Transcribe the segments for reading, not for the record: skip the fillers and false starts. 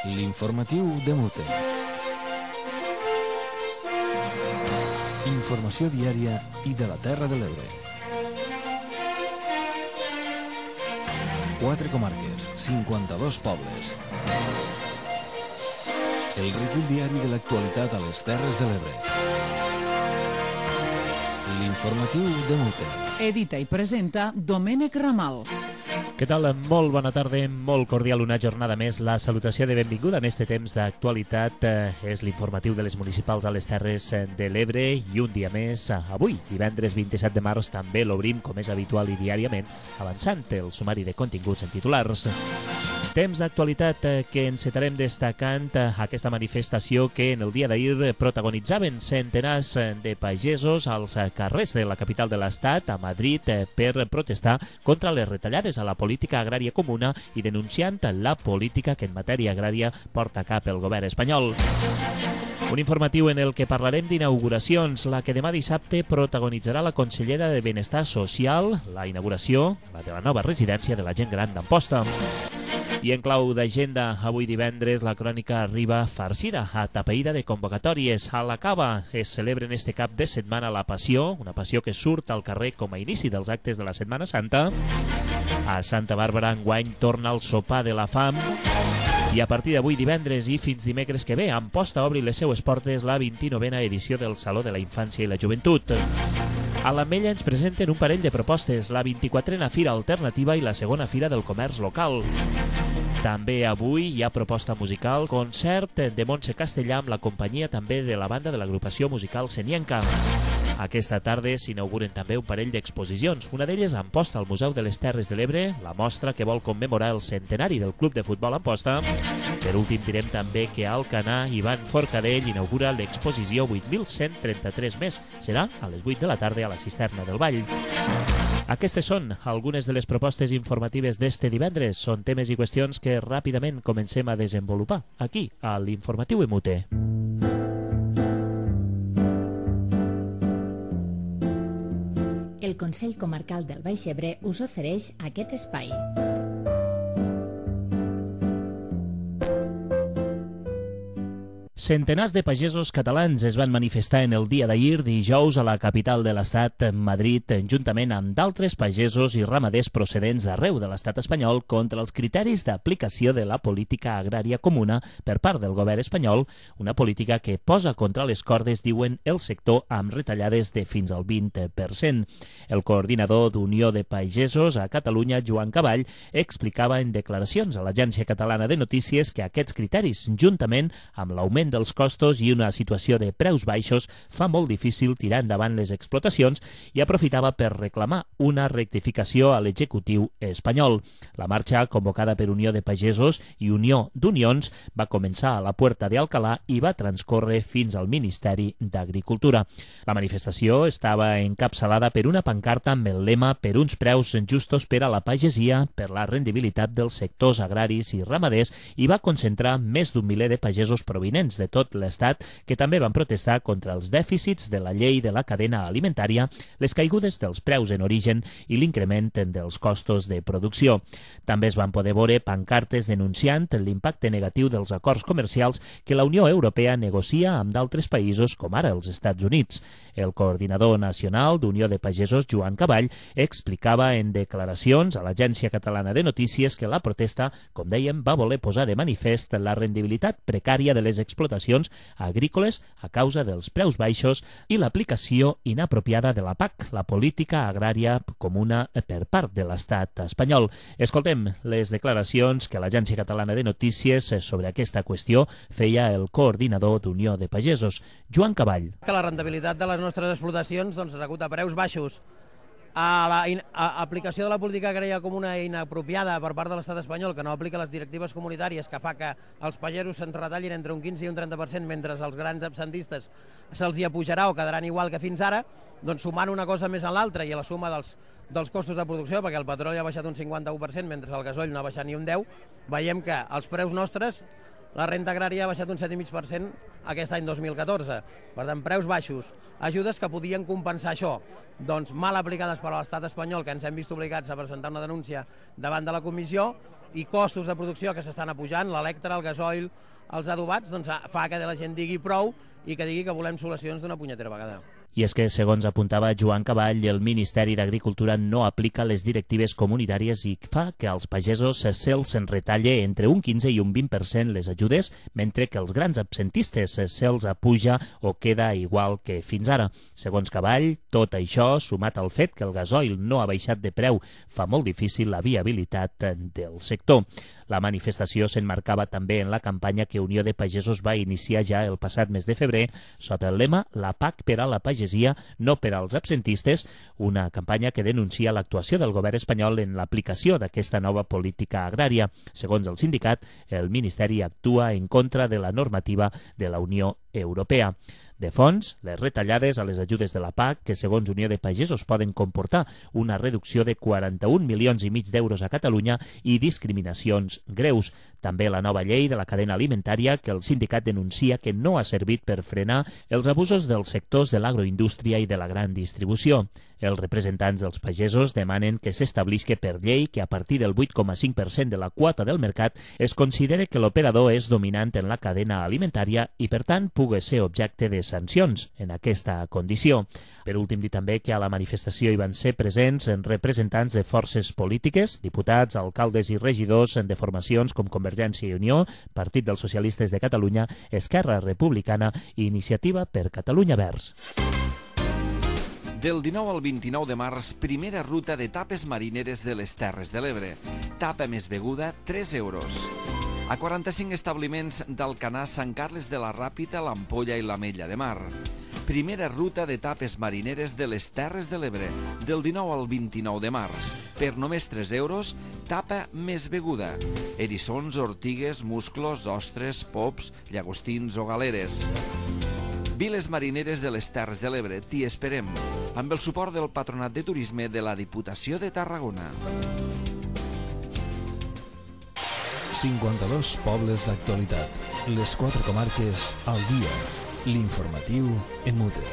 L'informatiu de Mute. Informació diària i de la Terra de l'Ebre. 4 comarques, 52 pobles. El recull diari de l'actualitat a les Terres de l'Ebre. L'informatiu de Mute. Edita i presenta Domènec Ramal. Què tal? Molt bona tarda, molt cordial una jornada més. La salutació de benvinguda en este temps d'actualitat és l'informatiu de les municipals a les Terres de l'Ebre i un dia més avui, divendres 27 de març, també l'obrim com és habitual i diàriament, avançant el sumari de continguts en titulars. Temps d'actualitat que encetarem destacant aquesta manifestació que en el dia d'ahir protagonitzaven centenars de pagesos als carrers de la capital de l'Estat, a Madrid, per protestar contra les retallades a la política agrària comuna i denunciant la política que en matèria agrària porta a cap el govern espanyol. Un informatiu en el que parlarem d'inauguracions, la que demà dissabte protagonitzarà la consellera de Benestar Social, la inauguració, la de la nova residència de la gent gran d'Amposta. I en clau d'agenda, avui divendres, la crònica arriba farcida, atapeïda de convocatòries. A la Cava es celebra en este cap de setmana la Passió, una passió que surt al carrer com a inici dels actes de la Setmana Santa. A Santa Bàrbara enguany torna el sopar de la fam. I a partir d'avui divendres i fins dimecres que ve, Amposta obri les seues portes la 29a edició del Saló de la Infància i la Joventut. A l'Ametlla ens presenten un parell de propostes, la 24a Fira Alternativa i la segona Fira del Comerç Local. També avui hi ha proposta musical, concert de Montse Castellà amb la companyia també de la banda de l'agrupació musical Senienca. Aquesta tarda s'inauguren també un parell d'exposicions, una d'elles a Amposta, al Museu de les Terres de l'Ebre, la mostra que vol commemorar el centenari del Club de Futbol Amposta. Per últim direm també que a Alcanar, Ivan Forcadell inaugura l'exposició 8.133 més. Serà a les 8 de la tarda a la Cisterna del Vall. Aquestes són algunes de les propostes informatives d'este divendres. Són temes i qüestions que ràpidament comencem a desenvolupar aquí, a l'Informatiu Emute. El Consell Comarcal del Baix Ebre us ofereix aquest espai. Centenars de pagesos catalans es van manifestar en el dia d'ahir, dijous, a la capital de l'Estat, Madrid, juntament amb d'altres pagesos i ramaders procedents d'arreu de l'Estat espanyol contra els criteris d'aplicació de la política agrària comuna per part del govern espanyol, una política que posa contra les cordes, diuen, el sector amb retallades de fins al 20%. El coordinador d'Unió de Pagesos a Catalunya, Joan Caball, explicava en declaracions a l'Agència Catalana de Notícies que aquests criteris, juntament amb l'augment dels costos i una situació de preus baixos, fa molt difícil tirar endavant les explotacions i aprofitava per reclamar una rectificació a l'executiu espanyol. La marxa, convocada per Unió de Pagesos i Unió d'Unions, va començar a la Puerta de Alcalá i va transcórrer fins al Ministeri d'Agricultura. La manifestació estava encapçalada per una pancarta amb el lema "Per uns preus justos per a la pagesia, per la rendibilitat dels sectors agraris i ramaders" i va concentrar més d'un miler de pagesos provinents de tot l'Estat que també van protestar contra els dèficits de la llei de la cadena alimentària, les caigudes dels preus en origen i l'increment dels costos de producció. També es van poder veure pancartes denunciant l'impacte negatiu dels acords comercials que la Unió Europea negocia amb d'altres països com ara els Estats Units. El coordinador nacional d'Unió de Pagesos, Joan Caball, explicava en declaracions a l'Agència Catalana de Notícies que la protesta, com dèiem, va voler posar de manifest la rendibilitat precària de les explotacions agrícoles a causa dels preus baixos i l'aplicació inapropiada de la PAC, la política agrària comuna, per part de l'Estat espanyol. Escoltem les declaracions que l'Agència Catalana de Notícies sobre aquesta qüestió feia el coordinador d'Unió de Pagesos, Joan Caball. Que la rendibilitat de les nostres explotacions, degut a preus baixos, a l'aplicació de la política agrària comuna inapropiada per part de l'Estat espanyol, que no aplica les directives comunitàries, que fa que els pagesos se'n retallin entre un 15 i un 30%, mentre els grans absentistes se'ls hi apujarà o quedaran igual que fins ara, doncs sumant una cosa més a l'altra i a la suma dels costos de producció, perquè el petroli ha baixat un 51%, mentre el gasoil no ha baixat ni un 10%, veiem que els preus nostres la renta agrària ha baixat un 7,5% aquest any 2014. Per tant, preus baixos, ajudes que podien compensar això, doncs mal aplicades per l'estat espanyol, que ens hem vist obligats a presentar una denúncia davant de la comissió, i costos de producció que s'estan apujant, l'electre, el gasoil, els adobats, doncs fa que la gent digui prou i que digui que volem solucions d'una punyetera vegada. I és que, segons apuntava Joan Caball, el Ministeri d'Agricultura no aplica les directives comunitàries i fa que als pagesos se'ls retalle entre un 15 i un 20% les ajudes, mentre que els grans absentistes se'ls apuja o queda igual que fins ara. Segons Caball, tot això, sumat al fet que el gasoil no ha baixat de preu, fa molt difícil la viabilitat del sector. La manifestació s'emmarcava també en la campanya que Unió de Pagesos va iniciar ja el passat mes de febrer sota el lema La PAC per a la pagesia, no per als absentistes, una campanya que denuncia l'actuació del govern espanyol en l'aplicació d'aquesta nova política agrària. Segons el sindicat, el Ministeri actua en contra de la normativa de la Unió Europea. De fons, les retallades a les ajudes de la PAC, que segons Unió de Pagesos poden comportar una reducció de 41,5 milions d'euros a Catalunya i discriminacions greus. També la nova llei de la cadena alimentària, que el sindicat denuncia que no ha servit per frenar els abusos dels sectors de l'agroindústria i de la gran distribució. Els representants dels pagesos demanen que s'establisca per llei que a partir del 8,5% de la quota del mercat es considere que l'operador és dominant en la cadena alimentària i, per tant, pugui ser objecte de sancions en aquesta condició. Per últim, dir també que a la manifestació hi van ser presents representants de forces polítiques, diputats, alcaldes i regidors de formacions com Convergència i Unió, Partit dels Socialistes de Catalunya, Esquerra Republicana i Iniciativa per Catalunya Verds. Del 19 al 29 de març, primera ruta de tapes marineres de les Terres de l'Ebre. Tapa més beguda, 3 euros. A 45 establiments d'Alcanar, Sant Carles de la Ràpita, l'Ampolla i l'Ametlla de Mar. Primera ruta de tapes marineres de les Terres de l'Ebre, del 19 al 29 de març. Per només 3 euros, tapa més beguda. Eriçons, ortigues, musclos, ostres, pops, llagostins o galeres. Viles marineres de les Terres de l'Ebre, t'hi esperem, amb el suport del Patronat de Turisme de la Diputació de Tarragona. 52 pobles d'actualitat. Les 4 comarques al dia. L'informatiu en mute.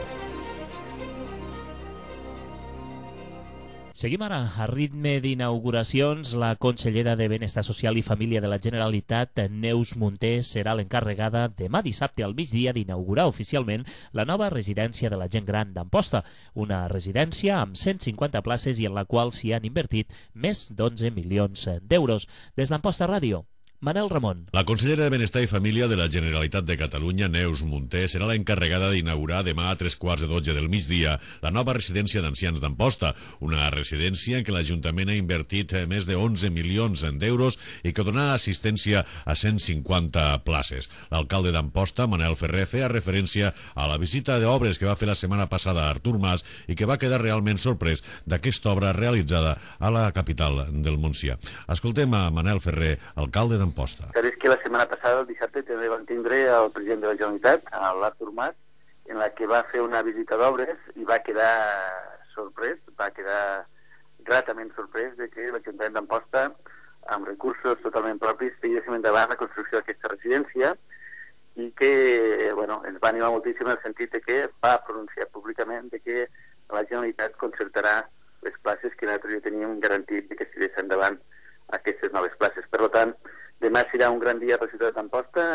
Seguim ara a ritme d'inauguracions. La consellera de Benestar Social i Família de la Generalitat, Neus Munté, serà l'encarregada demà dissabte al migdia d'inaugurar oficialment la nova residència de la gent gran d'Amposta, una residència amb 150 places i en la qual s'hi han invertit més d'11 milions d'euros. Des d'Amposta Ràdio, Manel Ramon. La consellera de Benestar i Família de la Generalitat de Catalunya, Neus Munté, serà l'encarregada d'inaugurar demà a 3:15 del migdia la nova residència d'ancians d'Amposta, una residència en què l'Ajuntament ha invertit més de 11 milions d'euros i que donarà assistència a 150 places. L'alcalde d'Amposta, Manel Ferrer, feia referència a la visita d'obres que va fer la setmana passada a Artur Mas i que va quedar realment sorprès d'aquesta obra realitzada a la capital del Montsià. Escoltem a Manel Ferrer, alcalde d'Amposta. És que la setmana passada, el dissabte, també vam tindre el president de la Generalitat, l'Artur Mas, en la que va fer una visita d'obres i va quedar sorprès, va quedar gratament sorprès de que l'Ajuntament d'Amposta, amb recursos totalment propis, feia endavant la construcció d'aquesta residència i que, ens va animar moltíssim en el sentit de que va pronunciar públicament de que la Generalitat concertarà les places que nosaltres ja teníem garantit que es tirés endavant aquestes noves places. Per tant, demà serà un gran dia per la ciutat d'Amposta.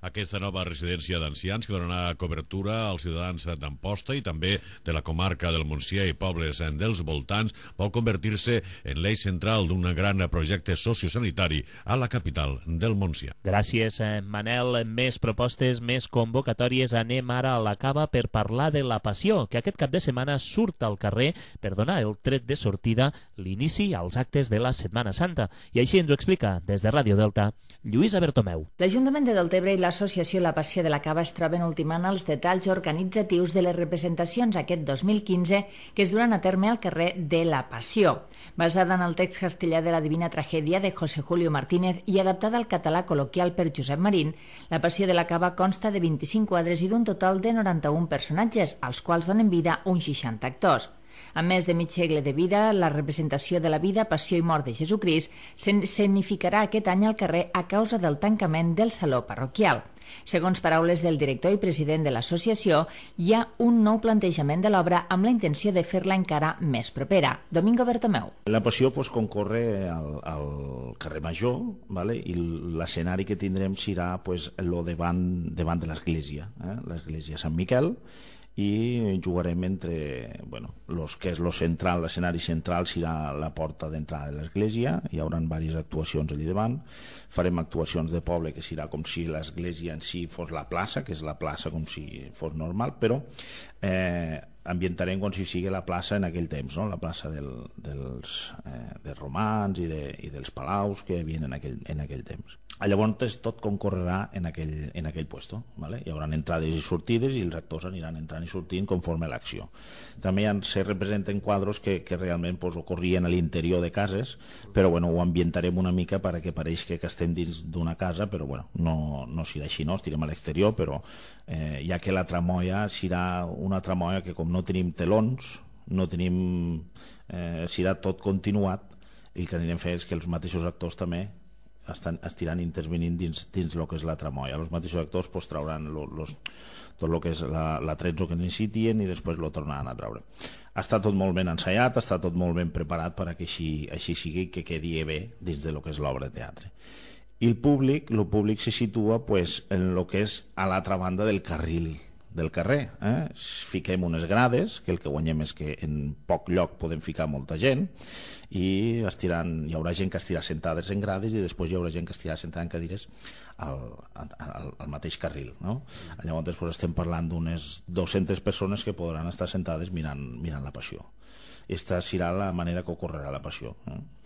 Aquesta nova residència d'ancians que donarà cobertura als ciutadans d'Amposta i també de la comarca del Montsià i pobles dels voltants vol convertir-se en l'eix central d'un gran projecte sociosanitari a la capital del Montsià. Gràcies, Manel. Més propostes, més convocatòries. Anem ara a la Cava per parlar de la Passió, que aquest cap de setmana surt al carrer per donar el tret de sortida, l'inici als actes de la Setmana Santa. I així ens ho explica, des de Ràdio Delta, Lluïsa Bertomeu. L'Ajuntament de Deltebre i l'Associació La Passió de la Cava es troben ultimant els detalls organitzatius de les representacions aquest 2015 que es duran a terme al carrer de la Passió. Basada en el text castellà de la Divina Tragèdia de José Julio Martínez i adaptada al català col·loquial per Josep Marín, la Passió de la Cava consta de 25 quadres i d'un total de 91 personatges, als quals donen vida uns 60 actors. Amb més de mig segle de vida, la representació de la vida, passió i mort de Jesucrist s'escenificarà aquest any al carrer a causa del tancament del saló parroquial. Segons paraules del director i president de l'associació, hi ha un nou plantejament de l'obra amb la intenció de fer-la encara més propera. Domingo Bertomeu. La passió concorre al carrer Major, ¿vale? I l'escenari que tindrem serà davant de l'església, l'església Sant Miquel, i jugarem entre que és central, l'escenari central serà la porta d'entrada de l'església, hi haurà diverses actuacions allà davant, farem actuacions de poble que serà com si l'església en si fos la plaça, que és la plaça com si fos normal, però ambientarem com si sigui la plaça en aquell temps, no? La plaça dels romans i dels palaus que hi havia en aquell temps. Llavors tot concorrerà en aquell puesto, ¿vale? Hi haurà entrades i sortides i els actors aniran entrant i sortint conforme a l'acció. També se representen quadros que realment ocorrien a l'interior de cases, però ho ambientarem una mica perquè pareix que estem dins d'una casa, però no serà així, no? Estirem a l'exterior, però ja que la tramoia serà una tramoia que com no tenim telons, serà tot continuat, i el que anirem a fer és que els mateixos actors també estiran intervenint dins el que és la tramoia. Els mateixos actors trauran tot el que és l'atrezzo que necessitien i després lo tornaran a treure. Està tot molt ben ensaiat, està tot molt ben preparat perquè així sigui, que quedi bé dins de lo que és l'obra de teatre. I el públic se situa en el que és a l'altra banda del carril del carrer. Fiquem unes grades, que el que guanyem és que en poc lloc podem ficar molta gent, i hi haurà gent que estirà sentades en grades i després hi haurà gent que estirà sentada en cadires al mateix carril, no? Llavors estem parlant d'unes 200 persones que podran estar sentades mirant la passió. Aquesta serà la manera que ocorrerà la passió.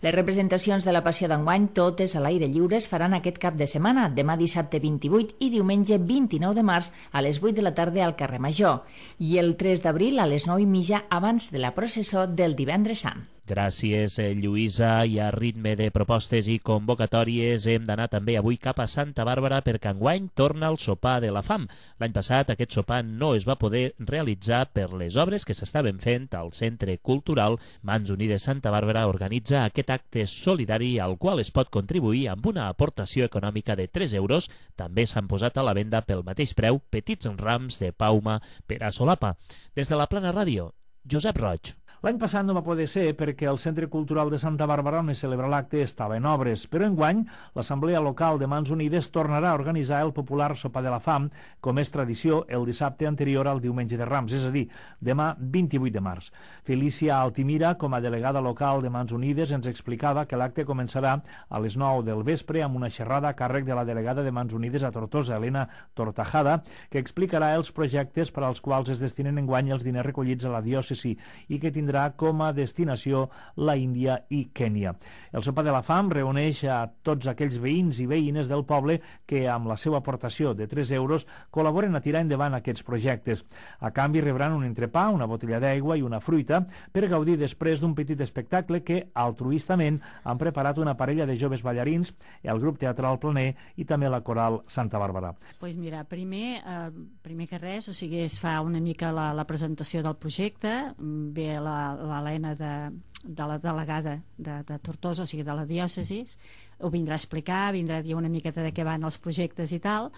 Les representacions de la passió d'enguany, totes a l'aire lliure, es faran aquest cap de setmana, demà dissabte 28 i diumenge 29 de març a les 8 de la tarda al carrer Major, i el 3 d'abril a les 9:30 abans de la processó del Divendres Sant. Gràcies, Lluïsa. I a ritme de propostes i convocatòries hem d'anar també avui cap a Santa Bàrbara perquè enguany torna el sopar de la fam. L'any passat aquest sopar no es va poder realitzar per les obres que s'estaven fent al Centre Cultural. Mans Unides Santa Bàrbara organitza aquest acte solidari al qual es pot contribuir amb una aportació econòmica de 3 euros. També s'han posat a la venda pel mateix preu petits rams de pauma per a solapa. Des de la Plana Ràdio, Josep Roig. L'any passat no va poder ser perquè el Centre Cultural de Santa Bàrbara on es celebra l'acte estava en obres, però enguany l'Assemblea Local de Mans Unides tornarà a organitzar el popular sopar de la fam, com és tradició, el dissabte anterior al diumenge de Rams, és a dir, demà 28 de març. Felícia Altimira, com a delegada local de Mans Unides, ens explicava que l'acte començarà a les 9 del vespre amb una xerrada a càrrec de la delegada de Mans Unides a Tortosa, Elena Tortajada, que explicarà els projectes per als quals es destinen enguany els diners recollits a la diòcesi i que tindrà com a destinació la Índia i Kènia. El sopar de la fam reuneix a tots aquells veïns i veïnes del poble que amb la seva aportació de 3 euros col·laboren a tirar endavant aquests projectes. A canvi rebran un entrepà, una botella d'aigua i una fruita per gaudir després d'un petit espectacle que altruistament han preparat una parella de joves ballarins, el grup teatral Planer i també la coral Santa Bàrbara. Pues mira, primer que res, es fa una mica la presentació del projecte, ve l'Helena de la delegada de Tortosa, o sigui de la diòcesis, ho vindrà a explicar, vindrà a dir una miqueta de què van els projectes i tal.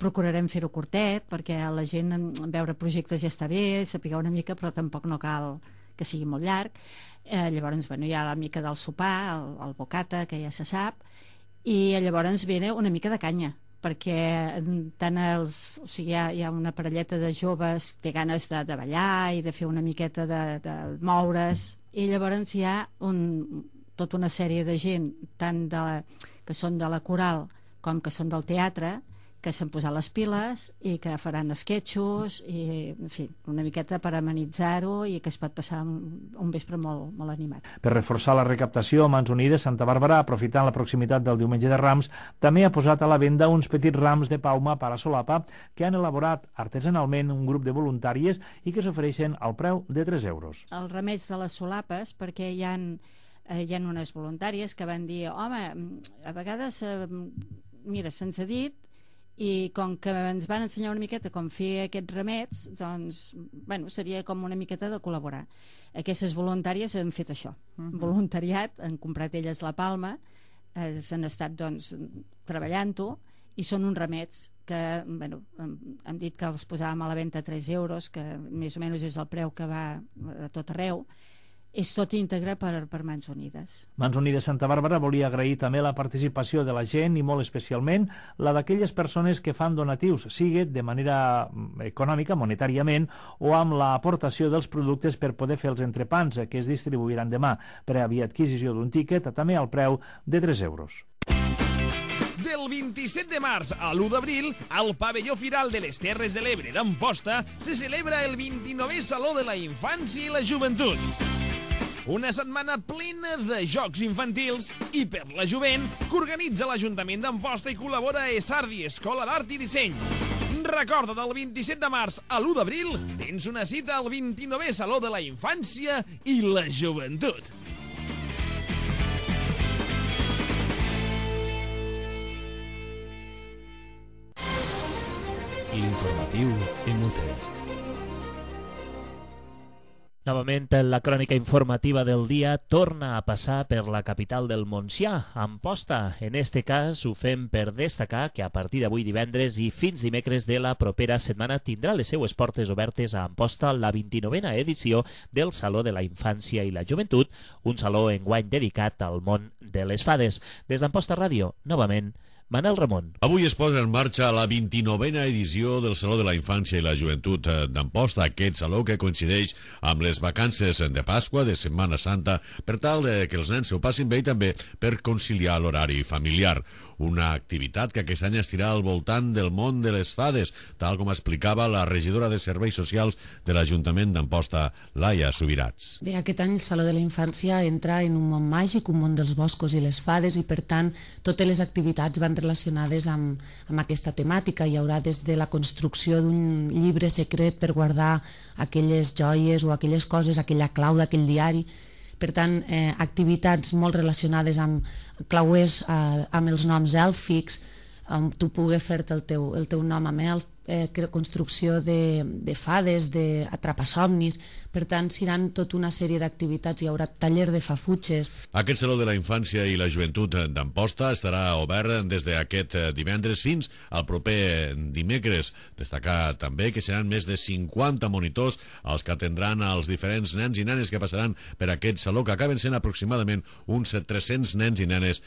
Procurarem fer-ho curtet perquè la gent veure projectes ja està bé, saber una mica, però tampoc no cal que sigui molt llarg. Llavors hi ha la mica del sopar, el bocata, que ja se sap, i llavors ve una mica de canya, perquè tant hi ha una parelleta de joves que té ganes de ballar i de fer una miqueta de moure's, i llavors hi ha tota una sèrie de gent tant que són de la coral com que són del teatre que s'han posat les piles i que faran esquetxos i, en fi, una miqueta per amenitzar-ho i que es pot passar un vespre molt, molt animat. Per reforçar la recaptació, Mans Unides Santa Bàrbara, aprofitant la proximitat del diumenge de Rams, també ha posat a la venda uns petits rams de pauma para solapa que han elaborat artesanalment un grup de voluntàries i que s'ofereixen al preu de 3 euros. Els remeis de les solapes, perquè hi ha unes voluntàries que van dir, home, a vegades, mira, se'ns ha dit i com que ens van ensenyar una miqueta com fer aquests remets, doncs, bueno, seria com una miqueta de col·laborar. Aquestes voluntàries han fet això, voluntariat, han comprat elles la palma, s'han estat, doncs, treballant-ho, i són uns remets que, bueno, hem dit que els posàvem a la venda a 3 euros, que més o menys és el preu que va a tot arreu. És tot íntegre per Mans Unides. Mans Unides Santa Bàrbara volia agrair també la participació de la gent i molt especialment la d'aquelles persones que fan donatius, sigui de manera econòmica, monetàriament, o amb l'aportació dels productes per poder fer els entrepans que es distribuiran demà per a adquisició d'un tíquet, també al preu de 3 euros. Del 27 de març a l'1 d'abril, al pavelló Firal de les Terres de l'Ebre d'Amposta se celebra el 29è Saló de la Infància i la Joventut. Una setmana plena de jocs infantils i per la jovent que organitza l'Ajuntament d'Amposta i col·labora a Esardi, Escola d'Art i Disseny. Recorda, del 27 de març a l'1 d'abril tens una cita al 29è Saló de la Infància i la Joventut. L'informatiu MUT. Novament, la crònica informativa del dia torna a passar per la capital del Montsià, Amposta. En este cas, ho fem per destacar que a partir d'avui divendres i fins dimecres de la propera setmana tindrà les seues portes obertes a Amposta la 29a edició del Saló de la Infància i la Joventut, un saló enguany dedicat al món de les fades. Des d'Amposta Ràdio, novament, Manel Ramon. Avui es posa en marxa la 29a edició del Saló de la Infància i la Joventut d'Amposta, aquest saló que coincideix amb les vacances de Pasqua, de Setmana Santa, per tal que els nens s'ho passin bé i també per conciliar l'horari familiar. Una activitat que aquest any estirà al voltant del món de les fades, tal com explicava la regidora de Serveis Socials de l'Ajuntament d'Amposta, Laia Subirats. Bé, aquest any el Saló de la Infància entra en un món màgic, un món dels boscos i les fades, i per tant totes les activitats van relacionades amb aquesta temàtica. Hi haurà des de la construcció d'un llibre secret per guardar aquelles joies o aquelles coses, aquella clau d'aquell diari. Per tant, activitats molt relacionades amb clauers amb els noms èlfics, on tu pugues fer-te el teu nom amb elf, construcció de fades, d'atrapasomnis. Per tant, seran tota una sèrie d'activitats. Hi haurà taller de fafutxes. Aquest Saló de la Infància i la Joventut d'Amposta estarà obert des d'aquest divendres fins al proper dimecres. Destacar també que seran més de 50 monitors els que atendran als diferents nens i nenes que passaran per aquest saló, que acaben sent aproximadament uns 300 nens i nenes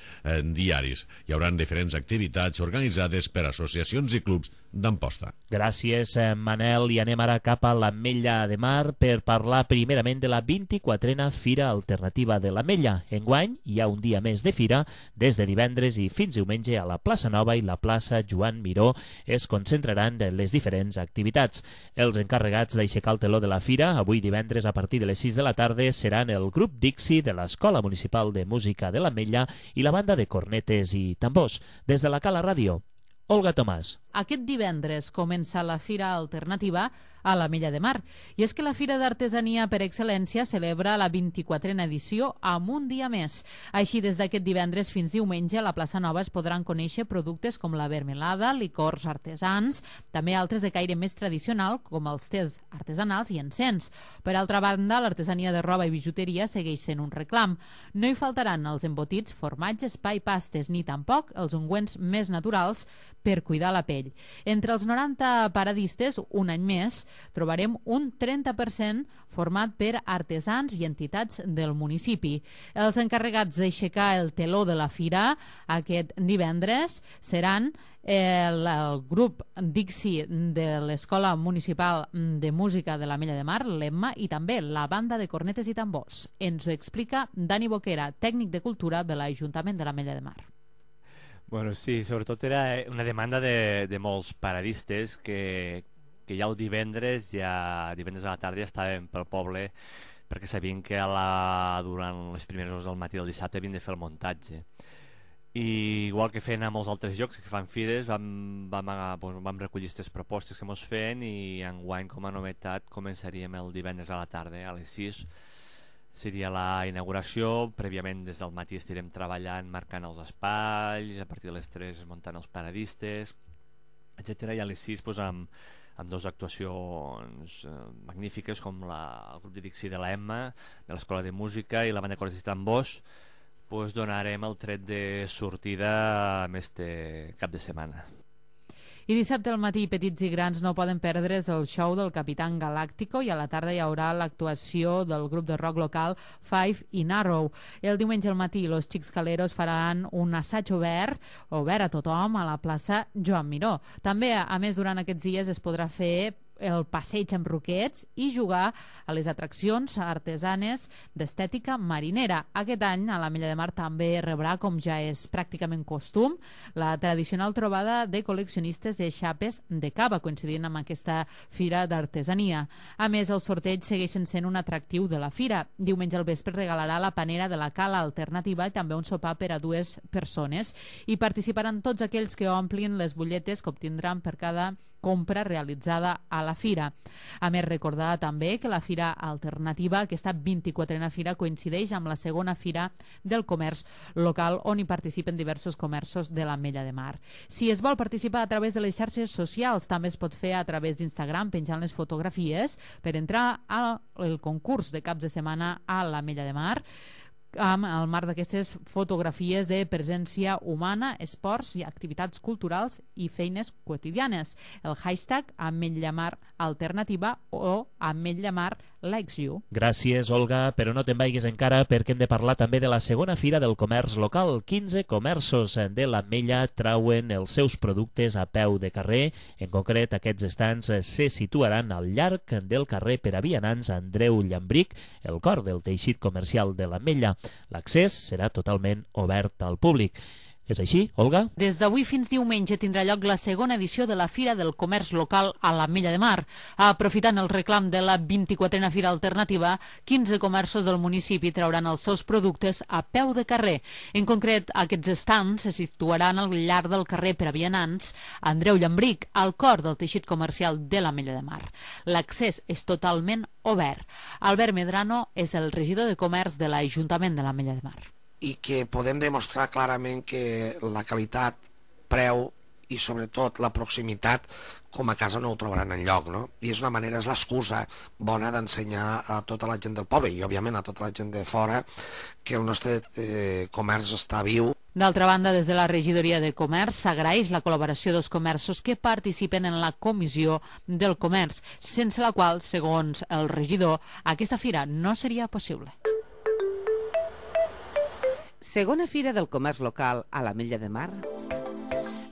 diaris. Hi haurà diferents activitats organitzades per associacions i clubs d'Amposta. Gràcies, Manel. I anem ara cap a l'Ametlla de Mar per parlar primerament de la 24a Fira Alternativa de l'Ametlla. Enguany hi ha un dia més de fira. Des de divendres i fins diumenge a la plaça Nova i la plaça Joan Miró es concentraran les diferents activitats. Els encarregats d'aixecar el teló de la fira, avui divendres a partir de les 6 de la tarda, seran el grup Dixi de l'Escola Municipal de Música de l'Ametlla i la banda de cornetes i tambors. Des de la Cala Ràdio, Olga Tomàs. Aquest divendres comença la Fira Alternativa a l'Ametlla de Mar. I és que la Fira d'Artesania per excel·lència celebra la 24a edició amb un dia més. Així, des d'aquest divendres fins diumenge, a la plaça Nova es podran conèixer productes com la vermelada, licors artesans, també altres de caire més tradicional, com els tés artesanals i encens. Per altra banda, l'artesania de roba i bijuteria segueix sent un reclam. No hi faltaran els embotits, formatges, pa i pastes, ni tampoc els ungüents més naturals per cuidar la pell. Entre els 90 paradistes, un any més, trobarem un 30% format per artesans i entitats del municipi. Els encarregats d'aixecar el teló de la fira aquest divendres seran el grup Dixi de l'Escola Municipal de Música de l'Ametlla de Mar, l'EMMA, i també la banda de cornetes i tambors. Ens ho explica Dani Boquera, tècnic de cultura de l'Ajuntament de l'Ametlla de Mar. Bueno, sí, sobretot era una demanda de molts paradistes que ja el divendres a la tarda ja estaven pel poble perquè sabien que durant les primeres hores del matí del dissabte havien de fer el muntatge. I igual que feien a molts altres llocs que fan fires, vam recollir aquestes propostes que ens feien i enguany, com a novetat, començaríem el divendres a la tarda a les 6. Seria la inauguració. Prèviament des del matí estirem treballant, marcant els espais, a partir de les 3 muntant els paradistes, etc. I a les 6 doncs, amb dues actuacions magnífiques com el grup de Dixi de la Emma, de l'Escola de Música i la banda Correcista en Bosch, doncs donarem el tret de sortida amb este cap de setmana. I dissabte al matí, petits i grans no poden perdre's el show del Capitán Galáctico i a la tarda hi haurà l'actuació del grup de rock local Five in Arrow. El diumenge al matí, los Xics Caleros faran un assaig obert a tothom a la plaça Joan Miró. També, a més, durant aquests dies es podrà fer el passeig amb roquets i jugar a les atraccions artesanes d'estètica marinera. Aquest any a l'Ametlla de Mar també rebrà, com ja és pràcticament costum, la tradicional trobada de col·leccionistes de xapes de cava, coincidint amb aquesta fira d'artesania. A més, els sorteigs segueixen sent un atractiu de la fira. Diumenge al vespre regalarà la panera de la cala alternativa i també un sopar per a 2 persones. I participaran tots aquells que omplin les butlletes que obtindran per cada compra realitzada a la fira. A més, recordar també que la Fira Alternativa, aquesta 24a fira, coincideix amb la segona fira del comerç local on hi participen diversos comerços de l'Ametlla de Mar. Si es vol participar a través de les xarxes socials, també es pot fer a través d'Instagram penjant les fotografies per entrar al concurs de caps de setmana a l'Ametlla de Mar, amb el marc d'aquestes fotografies de presència humana, esports i activitats culturals i feines quotidianes. El hashtag Ametlla Mar Alternativa o Ametlla Mar Likes You. Gràcies, Olga, però no te'n vagis encara perquè hem de parlar també de la segona fira del comerç local. 15 comerços de l'Ametlla trauen els seus productes a peu de carrer. En concret, aquests estants se situaran al llarg del carrer per a vianants Andreu Llambric, el cor del teixit comercial de l'Ametlla. L'accés serà totalment obert al públic. És així, Olga? Des d'avui fins diumenge tindrà lloc la segona edició de la Fira del Comerç Local a l'Ametlla de Mar. Aprofitant el reclam de la 24a Fira Alternativa, 15 comerços del municipi trauran els seus productes a peu de carrer. En concret, aquests estants se situaran al llarg del carrer per a vianants Andreu Llambric, al cor del teixit comercial de l'Ametlla de Mar. L'accés és totalment obert. Albert Medrano és el regidor de Comerç de l'Ajuntament de l'Ametlla de Mar. I que podem demostrar clarament que la qualitat, preu i sobretot la proximitat com a casa no ho trobaran enlloc, no? I és una manera, és l'excusa bona d'ensenyar a tota la gent del poble i òbviament a tota la gent de fora que el nostre comerç està viu. D'altra banda, des de la regidoria de Comerç s'agraeix la col·laboració dels comerços que participen en la comissió del comerç, sense la qual, segons el regidor, aquesta fira no seria possible. Segona Fira del Comerç Local a l'Ametlla de Mar,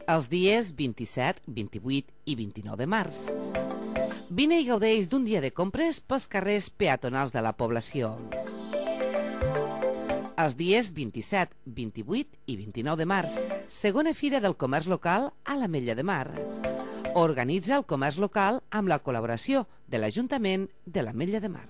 els dies 27, 28 i 29 de març. Vine i gaudeix d'un dia de compres pels carrers peatonals de la població. Els dies 27, 28 i 29 de març, segona Fira del Comerç Local a l'Ametlla de Mar. Organitza el comerç local amb la col·laboració de l'Ajuntament de l'Ametlla de Mar.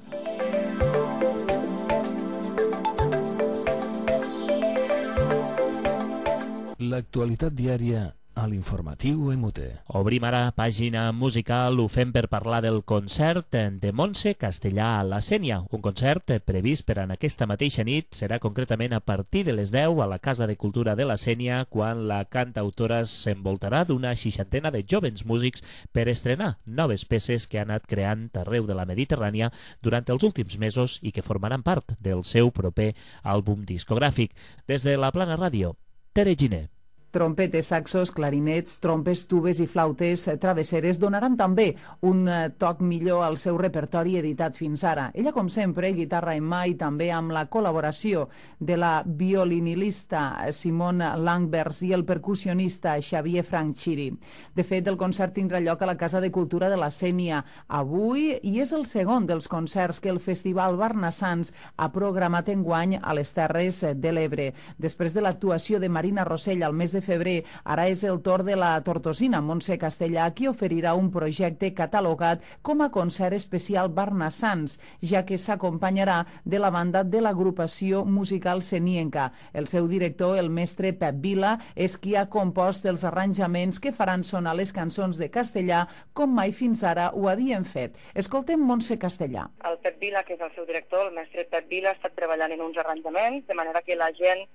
L'actualitat diària a l'informatiu MUT. Obrim ara pàgina musical, ho fem per parlar del concert de Montse Castellà a la Sénia. Un concert previst per en aquesta mateixa nit, serà concretament a partir de les 10 a la Casa de Cultura de la Sénia, quan la cantautora s'envoltarà d'una 60 de jovens músics per estrenar noves peces que ha anat creant arreu de la Mediterrània durant els últims mesos i que formaran part del seu proper àlbum discogràfic. Des de la Plana Ràdio, Tere Giner. Trompetes, saxos, clarinets, trompes, tubes i flautes travesseres donaran també un toc millor al seu repertori editat fins ara. Ella, com sempre, guitarra en mà i també amb la col·laboració de la violinilista Simone Langbers i el percussionista Xavier Franchiri. De fet, el concert tindrà lloc a la Casa de Cultura de la Sénia avui i és el segon dels concerts que el Festival Barnassans ha programat enguany a les Terres de l'Ebre. Després de l'actuació de Marina Rossell al mes de febrer, ara és el torn de la tortosina Montse Castellà, qui oferirà un projecte catalogat com a concert especial Barnassans, ja que s'acompanyarà de la banda de l'agrupació musical senienca. El seu director, el mestre Pep Vila, és qui ha compost els arranjaments que faran sonar les cançons de castellà com mai fins ara ho havien fet. Escoltem Montse Castellà. El Pep Vila, que és el seu director, el mestre Pep Vila, ha estat treballant en uns arranjaments, de manera que la gent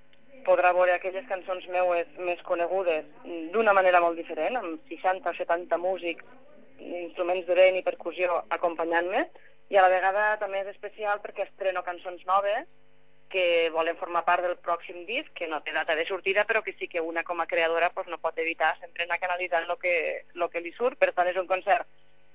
podrà veure aquelles cançons meues més conegudes d'una manera molt diferent, amb 60 o 70 músics, instruments de vent i percussió acompanyant-me, i a la vegada també és especial perquè estreno cançons noves que volen formar part del pròxim disc, que no té data de sortida, però que sí que una com a creadora no pot evitar sempre anar canalitzant el que li surt. Per tant, és un concert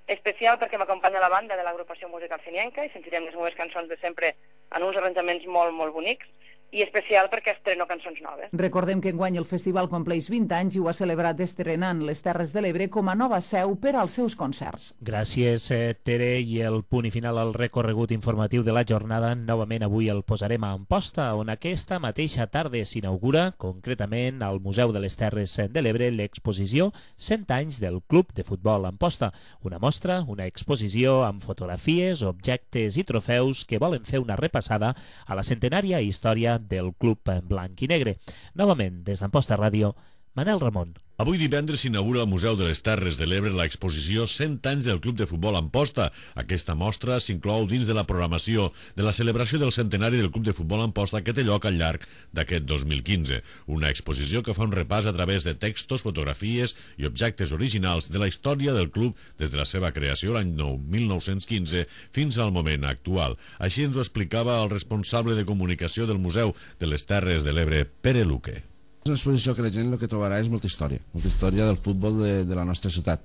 especial perquè m'acompanya la banda de l'agrupació musical Senienca i sentirem les meves cançons de sempre en uns arranjaments molt, molt bonics, i especial perquè estreno cançons noves. Recordem que enguany el festival compleix 20 anys i ho ha celebrat estrenant les Terres de l'Ebre com a nova seu per als seus concerts. Gràcies, Tere, i el punt i final al recorregut informatiu de la jornada. Novament avui el posarem a Amposta, on aquesta mateixa tarda s'inaugura, concretament al Museu de les Terres de l'Ebre, l'exposició 100 anys del Club de Futbol Amposta. Una mostra, una exposició amb fotografies, objectes i trofeus que volen fer una repassada a la centenària història del club blanc i negre. Novament, des d'Amposta Ràdio, Manel Ramon. Avui divendres s'inaugura al Museu de les Terres de l'Ebre l'exposició 100 anys del Club de Futbol Amposta. Aquesta mostra s'inclou dins de la programació de la celebració del centenari del Club de Futbol Amposta que té lloc al llarg d'aquest 2015. Una exposició que fa un repàs a través de textos, fotografies i objectes originals de la història del club des de la seva creació l'any 1915 fins al moment actual. Així ens ho explicava el responsable de comunicació del Museu de les Terres de l'Ebre, Pere Luque. És una exposició que la gent el que trobarà és molta història del futbol de la nostra ciutat.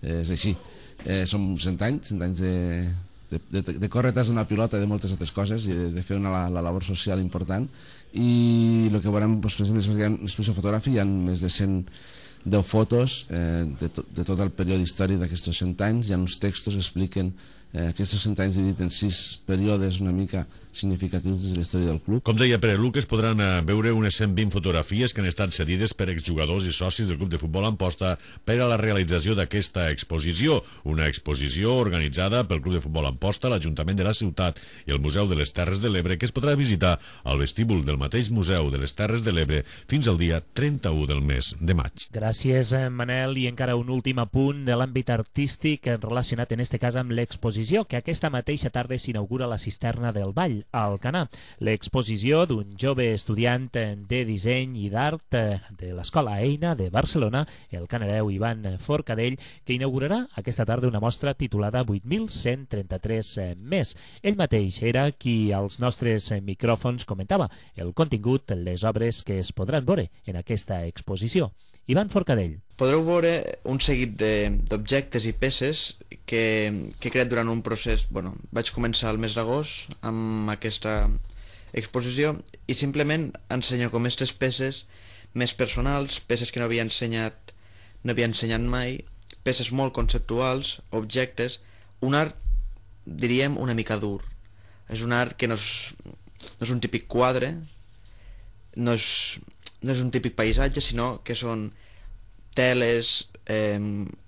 És així. Som 100 anys de córrer tras d'una pilota i de moltes altres coses, i de fer la labor social important. I el que veurem és una exposició fotogràfica, hi ha més de 110 fotos de tot el període històric d'aquests 100 anys, hi ha uns textos que expliquen aquests 100 anys dividit en 6 períodes una mica significatius de la història del club. Com deia Pere Luque, es podran veure unes 120 fotografies que han estat cedides per exjugadors i socis del Club de Futbol Amposta per a la realització d'aquesta exposició. Una exposició organitzada pel Club de Futbol Amposta, l'Ajuntament de la ciutat i el Museu de les Terres de l'Ebre, que es podrà visitar al vestíbul del mateix Museu de les Terres de l'Ebre fins al dia 31 del mes de maig. Gràcies, Manel. I encara un últim apunt de l'àmbit artístic relacionat en este cas amb l'exposició que aquesta mateixa tarda s'inaugura a la Cisterna del Vall, a Alcanar. L'exposició d'un jove estudiant de disseny i d'art de l'Escola Eina de Barcelona, el canareu Ivan Forcadell, que inaugurarà aquesta tarda una mostra titulada 8.133 més. Ell mateix era qui als nostres micròfons comentava el contingut, les obres que es podran veure en aquesta exposició. Ivan Forcadell. Podreu veure un seguit d'objectes i peces que he creat durant un procés. Vaig començar el mes d'agost amb aquesta exposició i simplement ensenyo com aquestes peces més personals, peces que no havia ensenyat mai, peces molt conceptuals, objectes, un art, diríem, una mica dur. És un art que no és un típic quadre, no és un típic paisatge, sinó que són teles,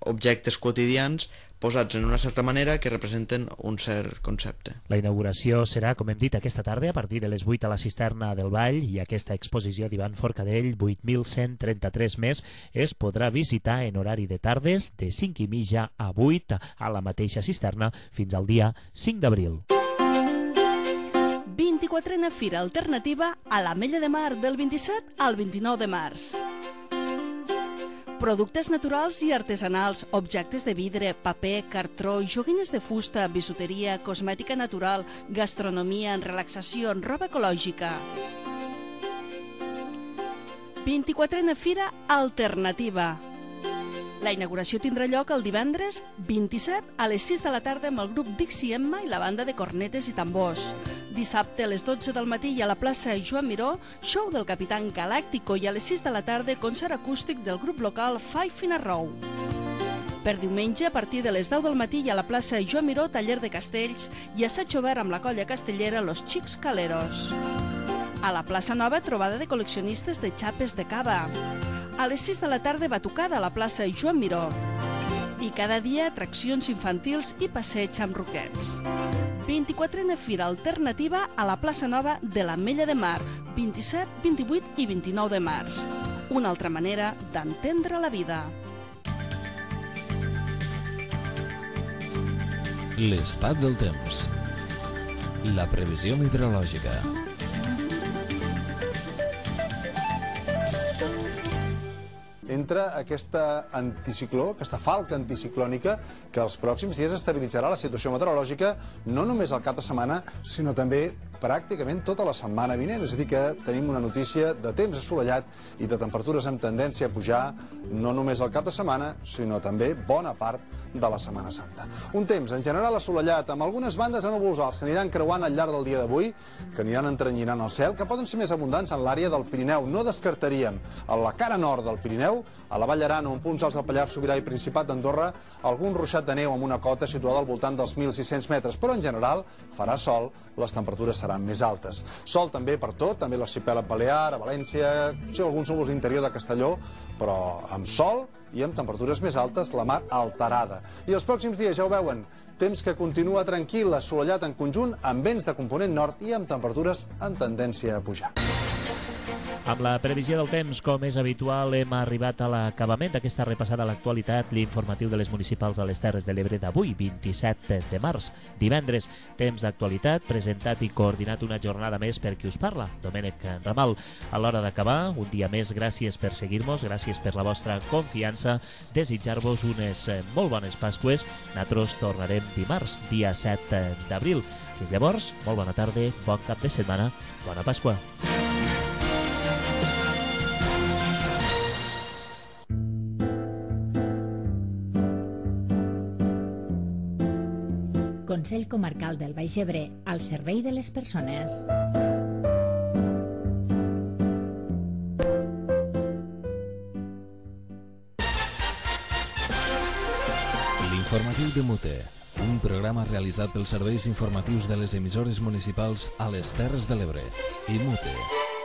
objectes quotidians posats en una certa manera que representen un cert concepte. La inauguració serà, com hem dit, aquesta tarda a partir de les 8 a la Cisterna del Vall, i aquesta exposició d'Ivan Forcadell, 8.133 més, es podrà visitar en horari de tardes de 5:30 a 8 a la mateixa cisterna fins al dia 5 d'abril. 24a Fira Alternativa a l'Ametlla de Mar del 27 al 29 de març. Productes naturals i artesanals, objectes de vidre, paper, cartró, joguines de fusta, bisuteria, cosmètica natural, gastronomia, relaxació, roba ecològica. 24a Fira Alternativa. La inauguració tindrà lloc el divendres 27 a les 6 de la tarda amb el grup Dixie Emma i la banda de cornetes i tambors. Dissabte a les 12 del matí i a la plaça Joan Miró, show del Capitán Galàctico, i a les 6 de la tarda concert acústic del grup local Five in a Row. Per diumenge, a partir de les 10 del matí i a la plaça Joan Miró, taller de castells i assaig obert amb la colla castellera Los Chics Caleros. A la plaça Nova, trobada de col·leccionistes de xapes de cava. A les 6 de la tarda, batucada a la plaça Joan Miró. I cada dia, atraccions infantils i passeig amb roquets. 24a Fira Alternativa a la plaça Nova de l'Ametlla de Mar, 27, 28 i 29 de març. Una altra manera d'entendre la vida. L'estat del temps. La previsió meteorològica. entra aquesta anticicló, aquesta falca anticiclònica que els pròxims dies estabilitzarà la situació meteorològica no només al cap de setmana, sinó també pràcticament tota la setmana vinent. És a dir, que tenim una notícia de temps assolellat i de temperatures amb tendència a pujar no només al cap de setmana, sinó també bona part de la Setmana Santa. Un temps en general assolellat, amb algunes bandes de núvols alts que aniran creuant al llarg del dia d'avui, que aniran entrenyinant el cel, que poden ser més abundants en l'àrea del Pirineu. No descartaríem a la cara nord del Pirineu, a la Vall d'Aran o en punts alts del Pallars Sobirà i Principat d'Andorra, algun ruixat de neu amb una cota situada al voltant dels 1.600 metres, però en general farà sol, les temperatures seran més altes. Sol també per tot, també l'arxipèlag balear, a València, sí, alguns núvols d'interior de Castelló, però amb sol i amb temperatures més altes, la mar alterada. I els pròxims dies, ja ho veuen, temps que continua tranquil, assolellat en conjunt, amb vents de component nord i amb temperatures en tendència a pujar. Amb la previsió del temps, com és habitual, hem arribat a l'acabament d'aquesta repassada a l'actualitat, l'informatiu de les municipals de les Terres de l'Ebre d'avui, 27 de març, divendres. Temps d'actualitat, presentat i coordinat una jornada més per qui us parla, Domènec Ramal. A l'hora d'acabar, un dia més, gràcies per seguir-nos, gràcies per la vostra confiança, desitjar-vos unes molt bones Pasqües. Nosaltres tornarem dimarts, dia 7 d'abril. Fins llavors, molt bona tarda, bon cap de setmana, bona Pasqua. Consell Comarcal del Baix Ebre, al servei de les persones. L'informatiu de Mute, un programa realitzat pels serveis informatius de les emissores municipals a les Terres de l'Ebre i Mute.